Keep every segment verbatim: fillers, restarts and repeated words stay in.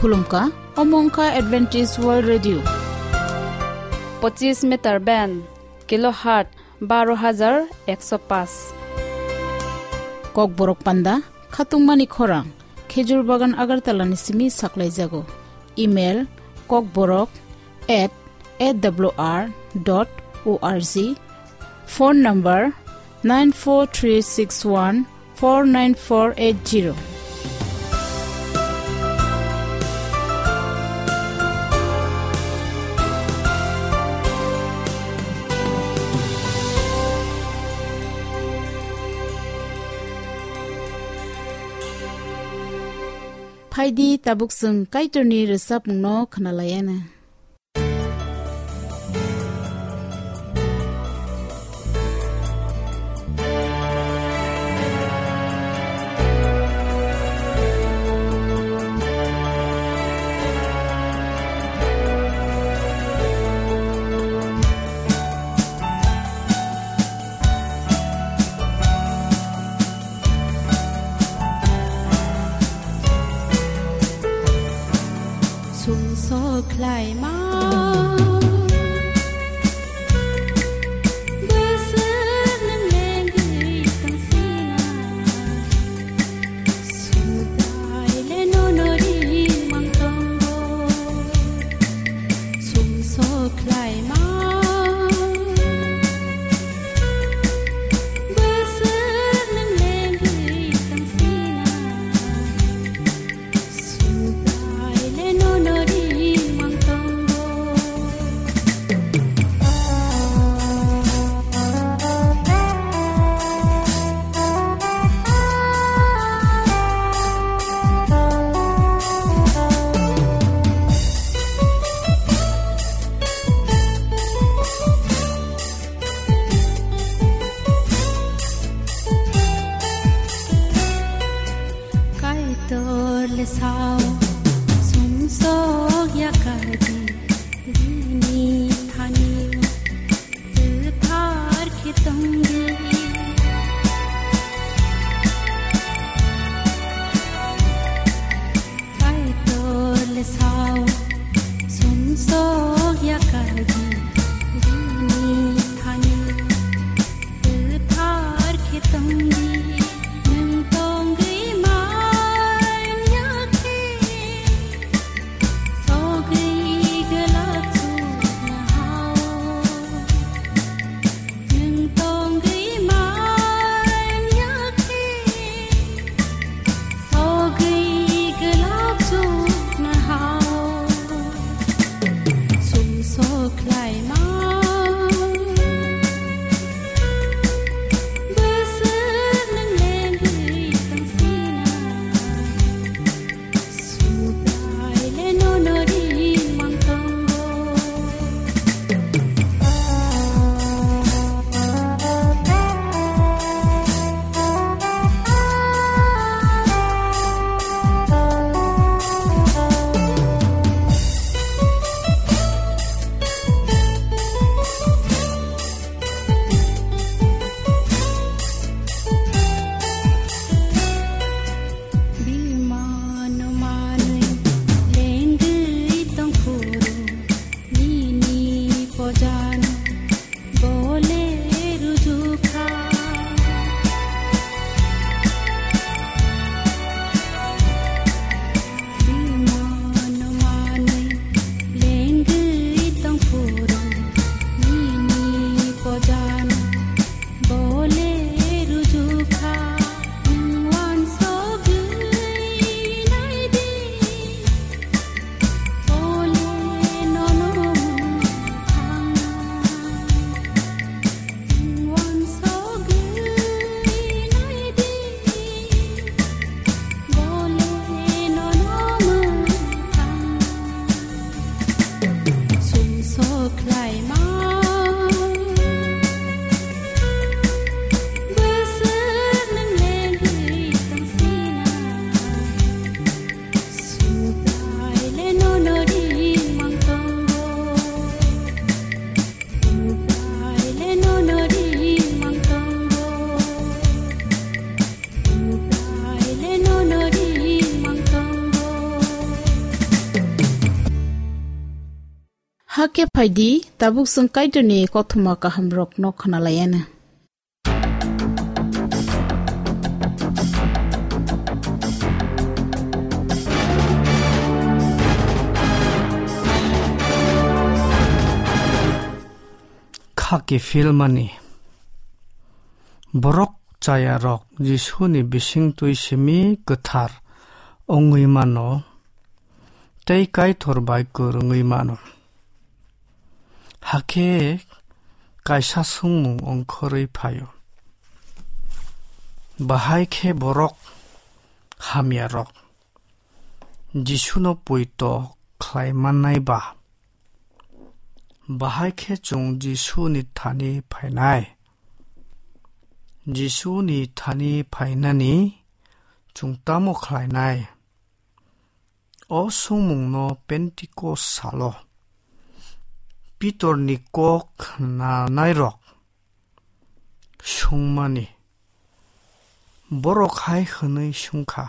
Khulumkha, omo wngkha Adventist World Radio. Pochis meter band, kilohertz baro hajar ekso paanch. Kokborok panda, khatungmani khorang, Khejur Bagan Agartala ni simi saklaijago. Email, kokborok at A W R dot O R G. Phone number, nine four three six one four nine four eight zero. Phaidi, tabuk chwng Kaitorni rwchapmungno khwnalaiyana. Sumsok khlaima bwswk nwng lengwi tongsinai. Subraile nono ringmang tongo. Sumsok khlaima bwswk nwng lengwi tongsinai. Subraile nono ringmang tongo. Kaitor le sao sumsok ya kaji rini thani kwthar khe tongdi. Kaitor le sao sumsok ya kaji rini thani kwthar khe tongdi. Nwng tongwi man ya khe sogwi gwlak chukna hao. Nwng tongwi man ya khe sogwi gwlak chukna hao. Hakhe phaidi, tabuk chwng Kaitorni kothoma kahamrokno khwnalaianw. Kha kiphilmani. Borok chayarok Jisuni bisingtwi simi kwthar wngwi mano tei Kaitor bai kwrwngwi mano. Hakhe kaisa swngmung ongkhorwi phaio. Bahai khe borok hamyarok Jisuno poito khlai mannai ba? Bahai khe chwng Jisuni thani phainai. Jisuni thani phainani chwng tamo khlainai? O swngmungno Pentikos salo Pitorni kok khwnanairok swngmani, borok hai hwnwi swngkha,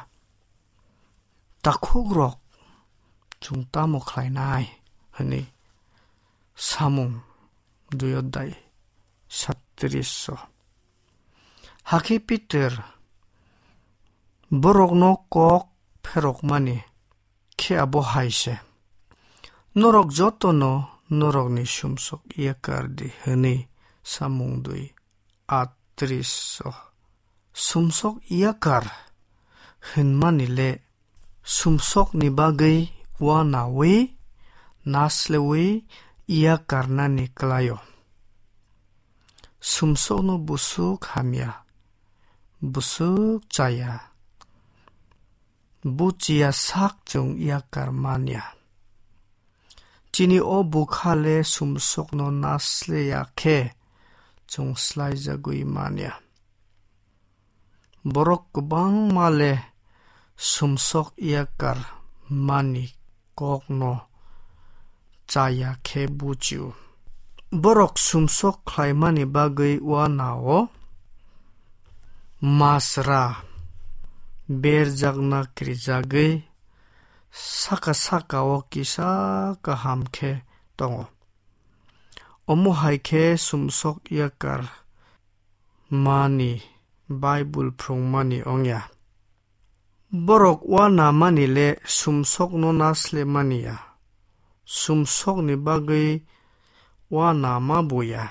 "Takhukrok, chwng tamo khlainai?" hwnwi samung dui odai satris o. Hakhe Pitor borokno kok pherokmani khe abo hai se, "Norok jotono norokni sumsok yakar di," hwnwi samung dui atris o. Sumsok yakar hwnmani le sumsokni bagwi uanaui nasleui yakarnani kwlaio. Sumsokno busuk hamya, busuk chaya, buchiya sak chwng yakar manya. Chini o bwkha le sumsokno nasleya khe chwng slaijagwi manya. Borok kwbangma le sumsok yakar mani kokno chaya khe buchio. Borok sumsok khlaimani bagwi uanao masra berjakna kirijagwi saka saka-o kisa kaham khe tongo. Omo hai khe sumsok yakar mani Baibul phrwngmani wngya. Borok uanamani le sumsokno naslemani ya. Sumsokni bagwi uanama bo ya.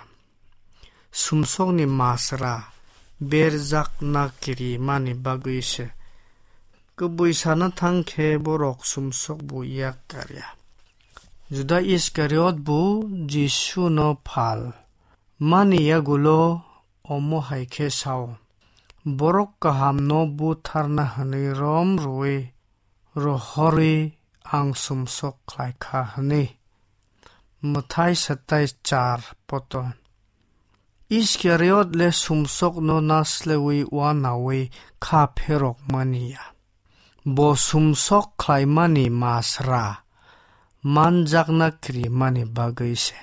Sumsokni masra berjakna kirimani bagwi se. Kwbwi sana thang khe borok sumsok bo yakar ya. Juda Iskariot bo Jisuno phal mani yagulo omo hai khe sao, "Borok kahamno butharna hwnwi rom rwui rohorwi ang sumsok khlai kha," hwnwi. Mwthai satai char poto. Iskariot le sumsokno nasleui uanaui kha pherok mani ya. Bo sumsok khlaimani masra manjakna kirimani bagwi se.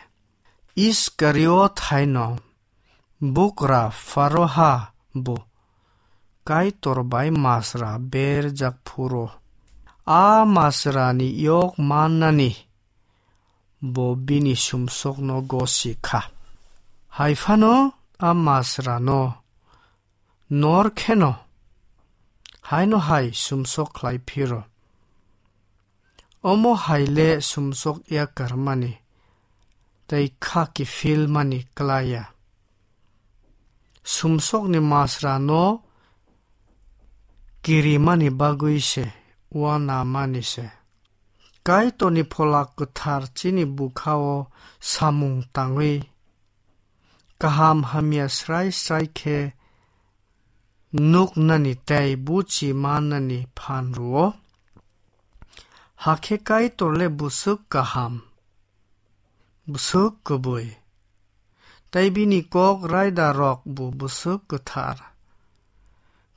Iskariot haino bugra Pharaoha bo Kaitor bai masra berjak phuru a masrani yok mannani bo bini sumsokno gosi kha. Hai phano a masrano nor kheno haino hai sumsok khlai phiro. Omo hai le sumsok yakar mani tei kha kiphil mani klai ya. Sumsokni masrano kirimani bagwi se, uanamani se. Kaitorni Phola Kwthar chini bwkhao samung tangwi kaham hamya srai srai khe nuknani tei buchi mannani phan rwo. Hakhe Kaitor le bwswk kaham, bwswk kwbwi, tei bini kok raida rok bo bwswk kwthar.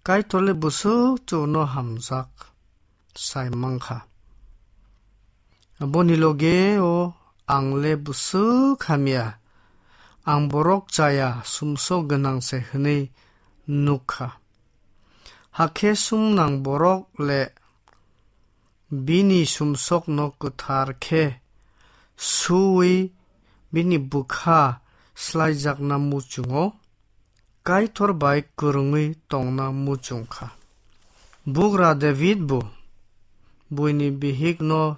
Kaitor le bwswk chwngno hamjak sai mankha. Aboni loge o ang le bwswk hamya, ang borok chaya sumsok gwnang se hwnwi nuk kha. Hakhe sumnang borok le bini sumsokno kwthar khe suwi bini bwkha slaijakna muchungo, Kaitor bai kwrwngwi tongna muchung kha. Bugra David bo buini bihikno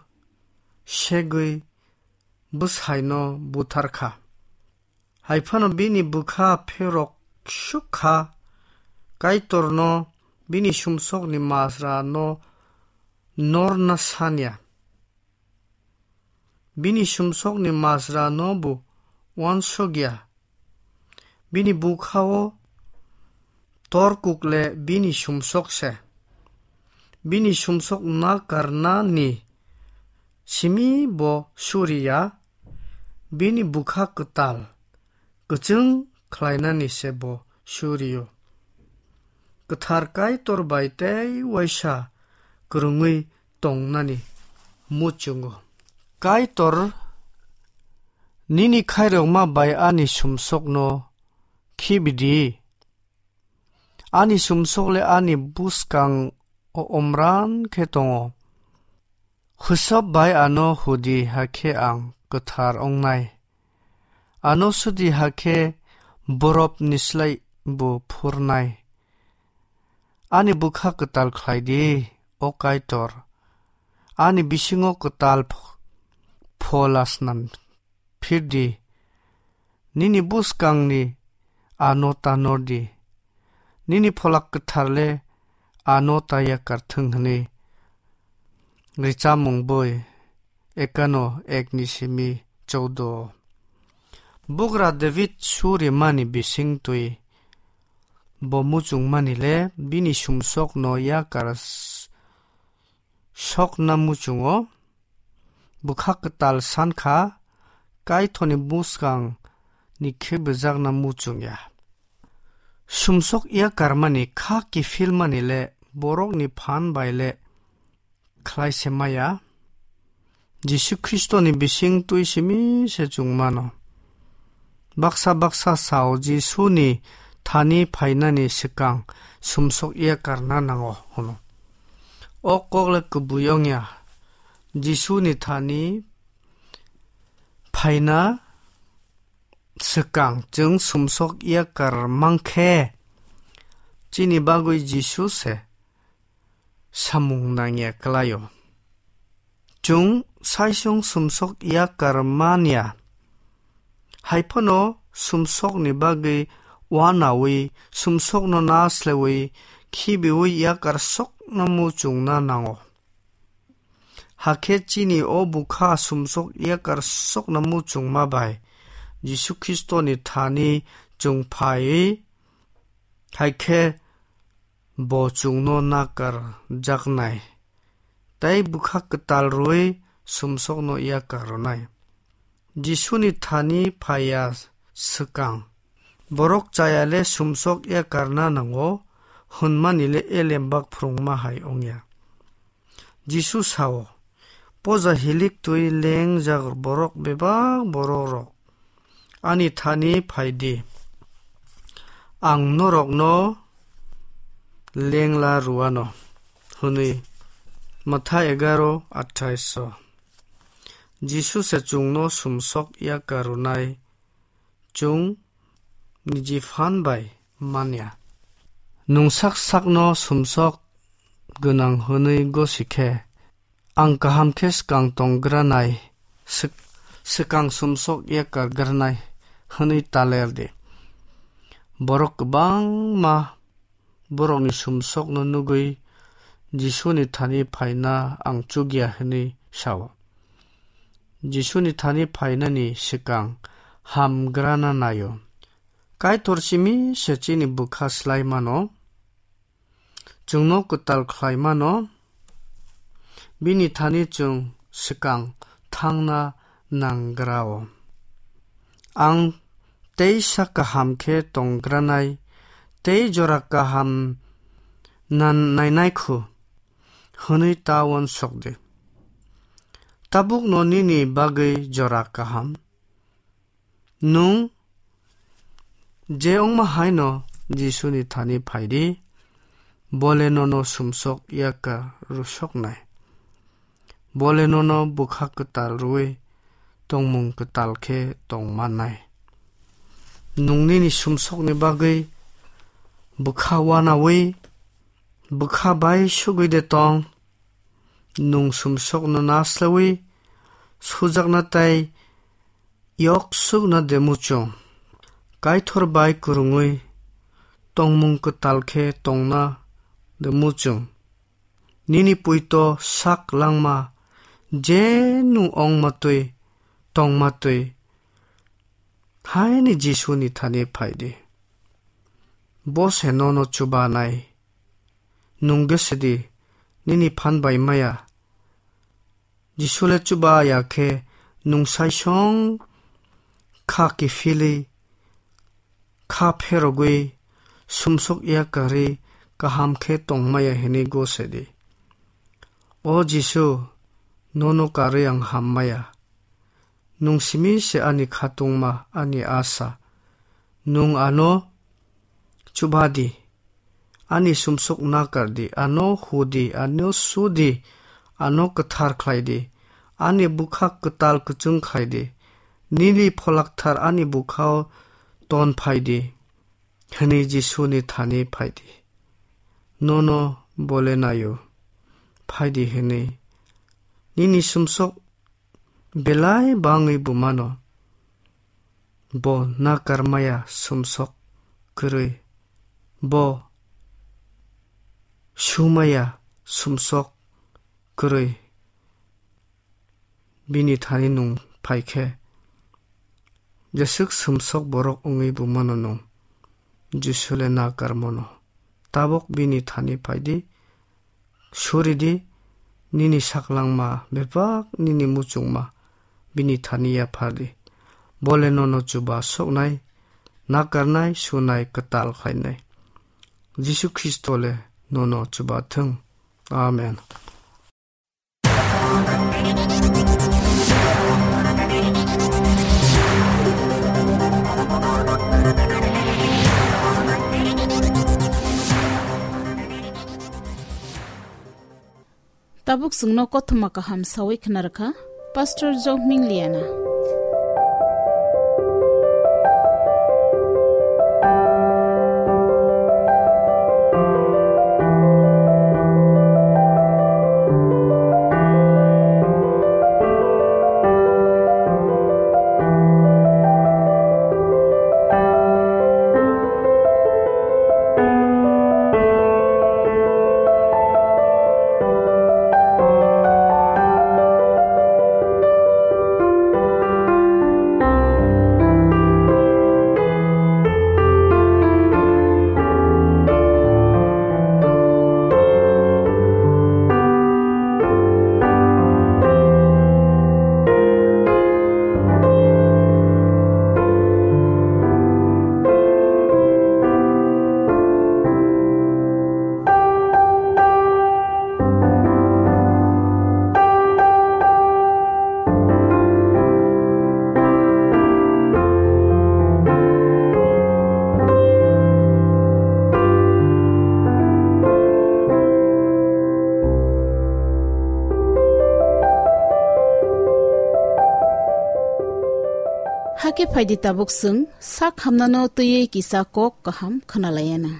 segwi bwsaino buthar kha. Hai phano bini bwkha pherok suk kha, Kaitorno bini sumsokni masrano norna sanya. Bini sumsokni masrano bo uansukya. Bini bwkhao torkuk le bini sumsok se. Bini sumsok nakarnani simi bo suriya, bini bwkha kwtal kwchwng khlainani se bo surio. Kwthar Kaitor bai tei uaisa kwrwngwi tongnani muchungo. Kaitor, nini khairokma bai ani sumsokno khibidi. Ani sumsok le ani bwskang o omran khe tongo. Husop bai ano hudi hakhe ang kwthar ongnai. Ano sudi hakhe borop ni slai bo phurnai. Ani bwkha kwtal khlai di, o Kaitor. Ani bisingo kwtal ph-, phola snam phir di. Nini bwskangni ano tanor di. Nini pholak kwthar le ano ta yakar thwng hwnwi. Richamung boi ekano ek ni simi choudo. Bugra David surimani bising twi bo muchungmani le bini sumsokno yakar s-, sokna muchungo. Bwkha kwtal san kha, Kaitorni bwskang ni khe bwjakna muchung ya. Sumsok yakarmani kha kiphilmani le borokni phan bai le khlai se maya. Jisu Khristoni bising twi simi se chwng mano. Baksa baksa sao Jisuni thani phainani swkang sumsok yakarna nango hwno. O kok le kubui wngya. Jisuni thani phaina swkang chwng sumsok yakar mankhe, chini bagwi Jisu se samung nangya kwlaio. Chwng saichung sumsok yakar manya. Hai phano sumsokni bagwi uanaui, sumsokno nasleui, khibiui yakar sokna muchungna nango. Hakhe chini o bwkha sumsok yakar sokna muchungma bai Jisu Khristoni thani chwng phaiwi, hai khe bo chwngno nakar jaknai, tei bwkha kwtal rwui sumsokno yakar rwnai. Jisuni thani phaiya swkang, borok chaya le sumsok yakarna nango hwnmani le elem bak phrwngma hai wngya. Jisu sao, "Poja hilik twi lengjak borok bebak borok rok, ani thani phai di, ang norokno lengla rwano," hwnwi. Matha egaro athais o. Jisu se chwngno sumsok yakar rwnai, chwng niji phan bai manya. Nwng sak sakno sumsok gwnang hwnwi gosi khe, "Ang kaham khe swkang tong granai, swk-, swkang sumsok yakar granai," hwnwi ta ler di. Borok kwbangma borokni sumsokno nugwi Jisuni thani phaina ang chukya hwnwi sao. Jisuni thani phainani swkang hamgrana naio. Kaitor simi se chini bwkha slai mano, chwngno kwtal khlai mano, bini thani chwng swkang thangna nanggrao. Ang teisa kaham khe tonggranai, tei jora kaham nan-, nainai khu, hwnwi ta uansuk di. Tabukno nini bagwi jora kaham. Nwng je wngma haino Jisuni thani phai di, bole nono sumsok yakar rwsoknai. Bole nono bwkha kwtal rwui tongmung kwtal khe tong mannai. Nwng nini sumsokni bagwi bwkha uanaui, bwkha bai sugwi de tong, nwng sumsokno naslaui sujakna tei yok sukna de muchung. Kaitor bai kwrwngwi tongmung kwtal khe tongna de muchung. Nini puito sak langma je nwng ongma twi, tongma twi, haini Jisuni thani phai di. Bo se nono chubanai. Nwng gese di, nini phan bai maya. Jisu le chuba ya khe nwng saisong kha kiphilwi, kha pherogwi, sumsok ya karwi kaham khe tong maya hwnwi gose di. O Jisu, nono karwi ang ham maya. Nwng simi se ani khatungma, ani asa. Nwng ano chuba di. Ani sumsok nakar di, ano hu di, ano su di, ano kwthar khlai di, ani bwkha kwtal kwchwng khlai di, nini pholakthar ani bwkhao ton phai di, hwnwi Jisuni thani phai di. Nono bole naio, phai di hwnwi. Nini sumsok belai bangwi bumano. Bo nakar maya sumsok kwrwi. Bo sumaya sumsok kwrwi. Bini thani nwng phai khe, jeswk sumsok borok wngwi bumano nwng. Jisu le nakar mano. Tabuk bini thani phai di, suri di, nini saklangma bebak nini muchungma bini thani yaphar di. Bo le nono chuba soknai, nakarnai, sunai, kwtal khlainai. Jisu Khristo le nono chuba thung. Amen. Tabuk chwngno kothoma kaham sawi khna rwkha Pastor Jokming Liana. Hakhe phaidi tabuk chwng sak hamnano twiwi kisa kok kaham khwnalaiana.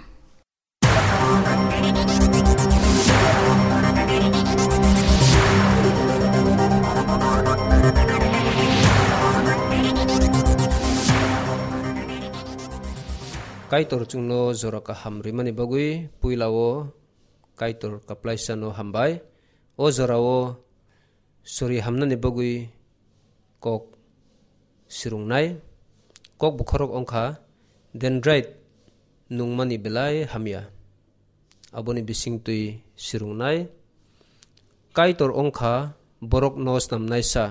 Kaitor chwngno jora kaham rimani bagwi puila o Kaitor kwplaisano hambai. O jorao sori hamnani bagwi kok sirungnai. Kok bokhorok wngkha dendrite nungmani belai hamya. Aboni bisingtwi sirungnai. Kaitor wngkha borokno snamnaisa.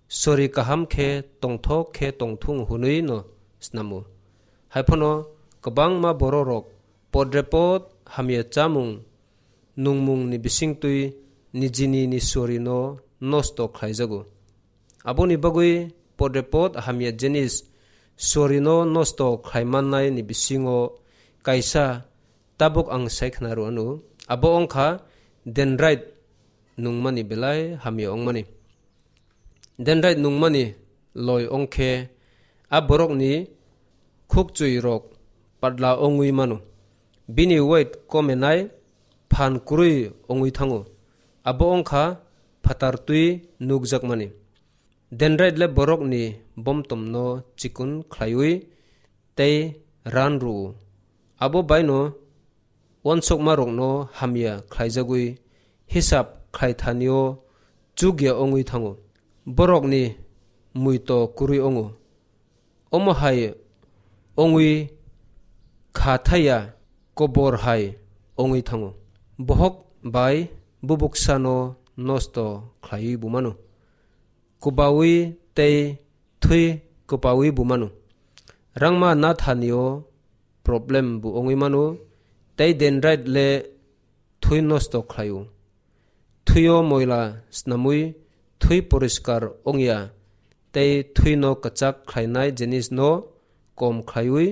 Sori kaham khe tongthok khe tongthung hwnwi no snamo. Haiphano kwbangma bororok podrepot hamya chamung nungmungni bisingtwi nijini ni sorino nosto khlaijago. Aboni bagwi podrepot hamya jinis sorino nosto khlaimannai ni bisingo kaisa tabuk ang sai khna rw anw, abo wngkha dendrite nungmani belai hamya wngmani. Dendrite nungmani loi ong khe, a borokni khukchwi rok patla ongwi mano. Bini weight komenai phan kwrwi ongwi thango. Abo ongkha phatar twi nukjakmani. Dendrite le borokni bomtomno chikon khlaiwi tei ran rw-o. Abo baino uansukmarokno hamya khlaijagwi hisab khlaithanio chukya ongwi thango. Borokni muito kwrwi ongo. Omo hai ongwi kha thaya kobor hai ongwi thango. Bohok bai bubuksano nosto khlaiwi bumano. Kubawi tei thwi kwpawi bumano. Rangma nathanio problem bo ongwi mano, tei dendrite le thwi nosto khlaio. Thwio moila snamwi thwi poriskar ongya, tei thwino kwchak khlainai jinisno kom khlaiwi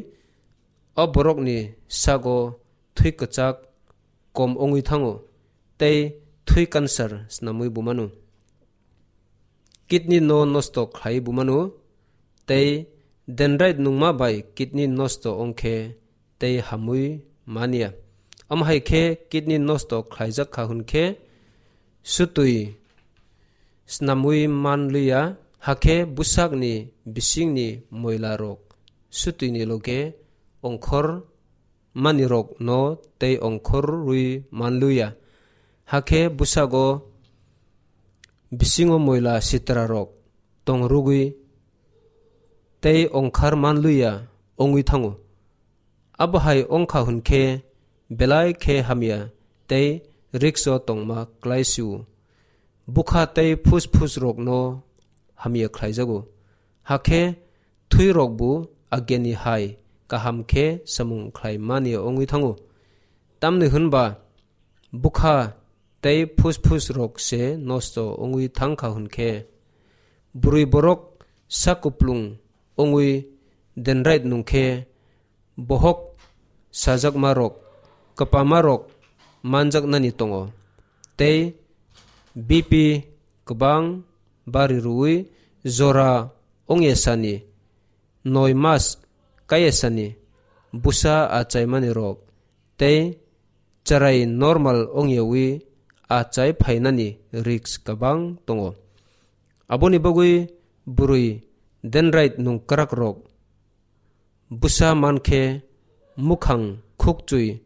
o borokni sago thwi kwchak kom ongwi thango, tei thwi cancer snamwi bumano. Kidney no nosto khlai bumano, tei dendrite nungma bai kidney nosto ongkhe tei hamwi manya. Omo hai khe kidney nosto khlaijak kha hwn khe sutwi snamwi man liya, hakhe bwsakni bisingni moila rok sutwini loge ongkhor manirokno tei ongkhorwi man liya. Hakhe bwsago bisingo moila sitrarok tong rwgwi tei ongkhar man liya ongwi thango. Abo hai ongkha hwn khe belai khe hamya tei risk-o tongma klai si-o. Bwkha tei phusphusrokno hamya khlaijago. Hakhe thwirokbo ageni hai kaham khe samung khlai mani ongwi thango. Tamni hwnba bwkha tei phusphusrok se nosto ongwi thang kha hwn khe, bwrwi borok sak kuplung ongwi dendrite nung khe, bohok sajakmarok, kwpamarok manjaknani tongo, tei B P kwbang bari rwui jora ongya sani, noi mas kaya sani, bwsa achaimani rok, tei chwrai normal ongyawi achai phainani risk kwbang tongo. Aboni bagwi bwrwi dendrite nung kwrakrok bwsa mankhe mukhang, khukchwi,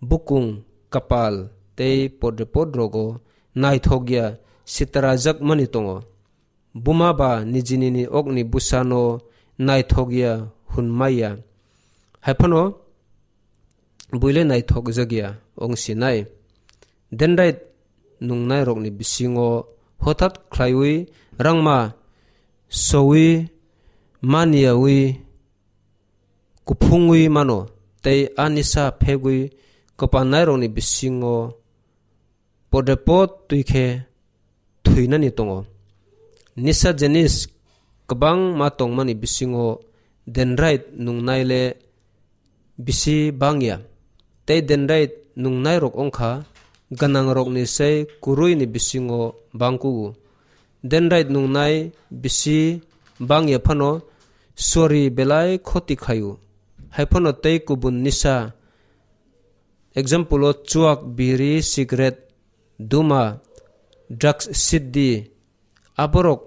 bukung, kapal tei podrepod rogo naithokya sitrajakmani tongo. Buma ba nijinini okni bwsano naithokya hwnmaya. Haiphano buile naithokjakya wngsinai. Dendrite nungnairokni bisingo hothat khlaiwi rangma sowi maniyawi kuphungwi mano, tei a nisa phegwi kwpanairokni bisingo podrepot twi khe thwinani tongo. Nisa jinis kwbangma tongmani bisingo dendrite nungnai le bisi bangya, tei dendrite nungnairok wngkha gwnangrokni sei kwrwini bisingo bangkugo. Dendrite nungnai bisi bangya phano sori belai khoti khlaio. Haiphano tei kubun nisa, example-o chuak, biri, cigarette, duma, drugs, siddi, aborok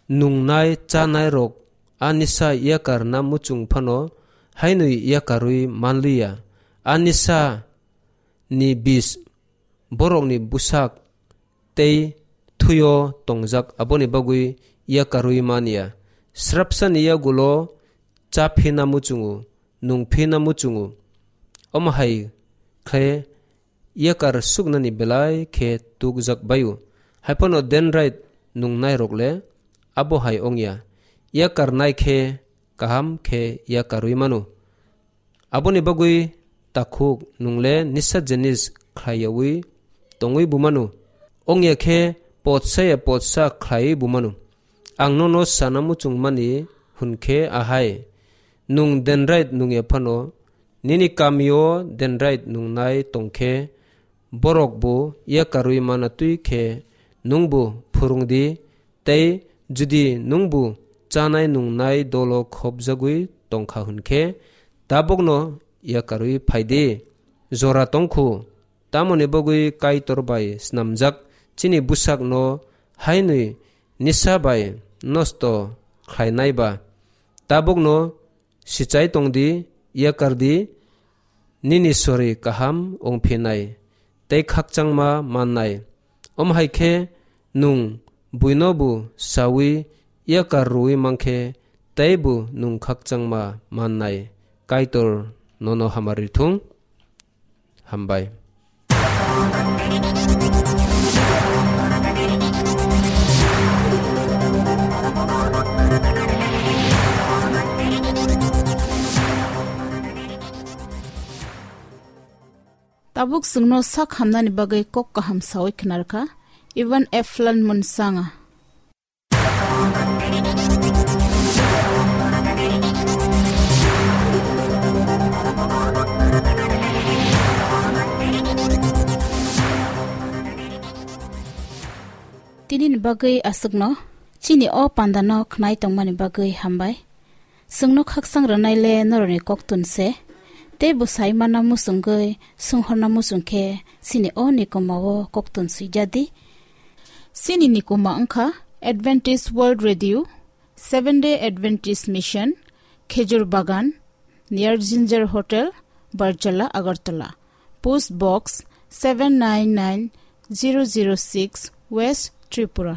nungnai chanairok a nisa yakarna muchung phano hainwi yakarwi manliya. A nisa ni bis borokni bwsak tei thwio tongjak, aboni bagwi yakarwi manya. Srapsani yagulo cha phina muchungo, nung phina muchungo. Omo hai khe yakar suknani belai khe tukjak baio. Haiphano dendrite nungnairok le abo hai wngya. Yakarnai khe kaham khe yakarwi mano. Aboni bagwi takhuk nung le nisa jinis khlaiyawi tongwi bumano. Wngya khe potsa ya potsa khlaiwi bumano. Ang nono sana muchungmani hwn khe ahai, nung dendrite nungya phano, nini kamio dendrite nungnai tong khe, borok bo yakarwi mana twi khe nwng bo phwrwng di tei Jodi nwngbo chanai nungnai dolo khopjagwi tongkha hwnkhe, tabukno yakarwi phaidi. Jora tongkhu, tamoni bagwi Kaitor bai snamjak chini bwsakno hainwi nisa bai nosto khlainai ba. Tabukno sichai tongdi, yakardi, nini sori kaham wngphinai tei khakchangma mannai. Omo hai khe nwng buinobo saui yakar rwui mankhe teibo nwng khakchangma mannai. Kaitor nono hamari thung. Hambai. Tabuk chwngno sak hamnani bagwi kok kaham saui khnarkha Ivan Eflan Munsanga. Tinini bagwi aswkno chini o pandano khnai tongmani bagwi hambai. Chwngno khakchang rwnaile norokni koktun se, tei bwsai manna muchungwi swnghorna muchung khe chini o nikoma o koktun swijadi. Chini nikoma wngkha Adventist World Radio, Seven Day Adventist Mission, Khejur Bagan, near Ginger Hotel, Barjala, Agartala. Post Box seven nine nine zero zero six, West Tripura.